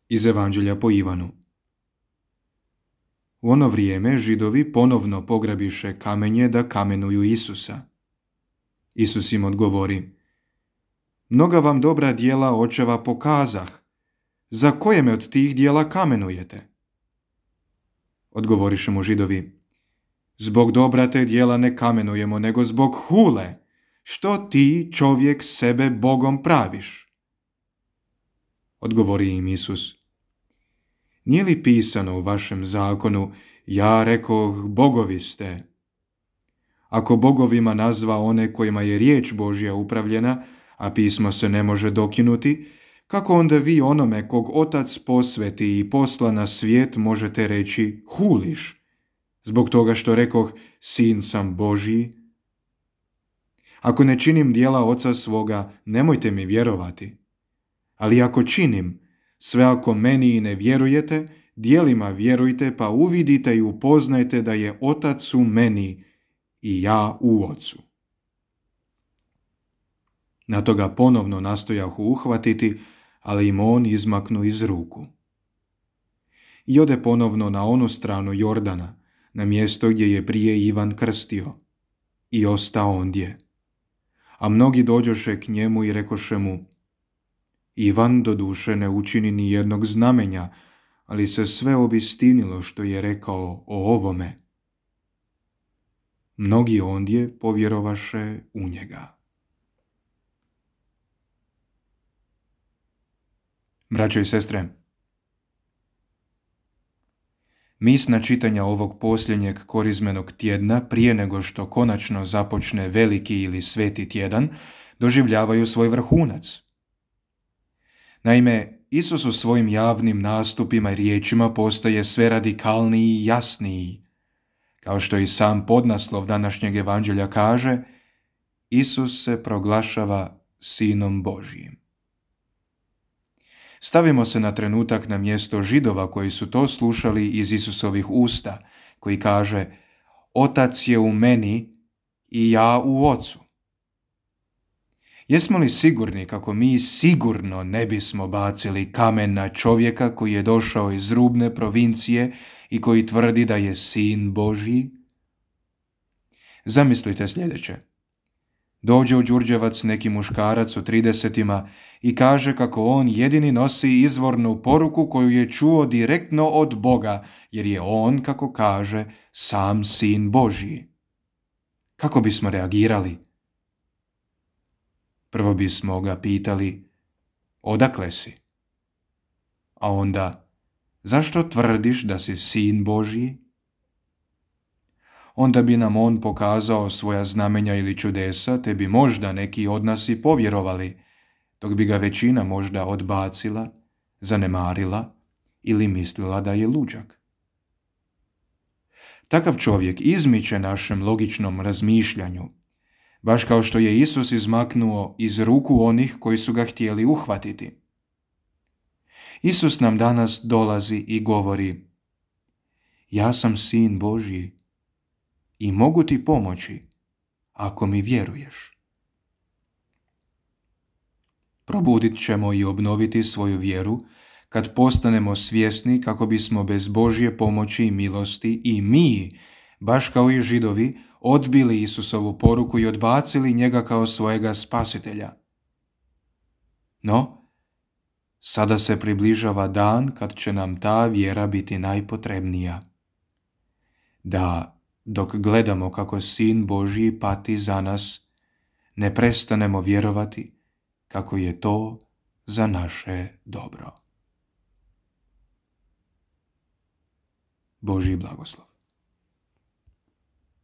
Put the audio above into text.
Iz Evanđelja po Ivanu. U ono vrijeme Židovi ponovno pograbiše kamenje da kamenuju Isusa. Isus im odgovori: Mnoga vam dobra djela očeva pokazah. Za koje me od tih djela kamenujete? Odgovoriše mu Židovi: Zbog dobra te djela ne kamenujemo, nego zbog hule, što ti, čovjek, sebe Bogom praviš. Odgovori im Isus: Nije li pisano u vašem zakonu, ja rekoh, bogovi ste? Ako bogovima nazva one kojima je riječ Božja upravljena, a pismo se ne može dokinuti, kako onda vi onome kog Otac posveti i posla na svijet možete reći huliš, zbog toga što rekoh sin sam Božji? Ako ne činim djela Oca svoga, nemojte mi vjerovati. Ali ako činim, sve ako meni i ne vjerujete, djelima vjerujte pa uvidite i upoznajte da je Otac u meni i ja u Ocu. Na to ga ponovno nastojahu uhvatiti, ali im on izmaknu iz ruku. I ode ponovno na onu stranu Jordana, na mjesto gdje je prije Ivan krstio, i osta ondje. A mnogi dođoše k njemu i rekoše mu: Ivan doduše ne učini ni jednog znamenja, ali se sve obistinilo što je rekao o ovome. Mnogi ondje povjerovaše u njega. Braćo i sestre, misna čitanja ovog posljednjeg korizmenog tjedna, prije nego što konačno započne veliki ili sveti tjedan, doživljavaju svoj vrhunac. Naime, Isus u svojim javnim nastupima i riječima postaje sve radikalniji i jasniji. Kao što i sam podnaslov današnjeg evanđelja kaže, Isus se proglašava Sinom Božjim. Stavimo se na trenutak na mjesto Židova koji su to slušali iz Isusovih usta, koji kaže: Otac je u meni i ja u Ocu. Jesmo li sigurni kako mi sigurno ne bismo bacili kamen na čovjeka koji je došao iz rubne provincije i koji tvrdi da je Sin Božji? Zamislite sljedeće. Dođe u Đurđevac neki muškarac u 30-ima i kaže kako on jedini nosi izvornu poruku koju je čuo direktno od Boga, jer je on, kako kaže, sam Sin Božji. Kako bismo reagirali? Prvo bismo ga pitali: odakle si? A onda: zašto tvrdiš da si Sin Božji? Onda bi nam on pokazao svoja znamenja ili čudesa, te bi možda neki od nas i povjerovali, dok bi ga većina možda odbacila, zanemarila ili mislila da je luđak. Takav čovjek izmiče našem logičnom razmišljanju, baš kao što je Isus izmaknuo iz ruku onih koji su ga htjeli uhvatiti. Isus nam danas dolazi i govori: ja sam Sin Božji i mogu ti pomoći ako mi vjeruješ. Probudit ćemo i obnoviti svoju vjeru kad postanemo svjesni kako bismo bez Božje pomoći i milosti i mi, baš kao i Židovi, odbili Isusovu poruku i odbacili njega kao svojega spasitelja. No, sada se približava dan kad će nam ta vjera biti najpotrebnija. Da, dok gledamo kako Sin Božji pati za nas, ne prestanemo vjerovati kako je to za naše dobro. Božji blagoslov.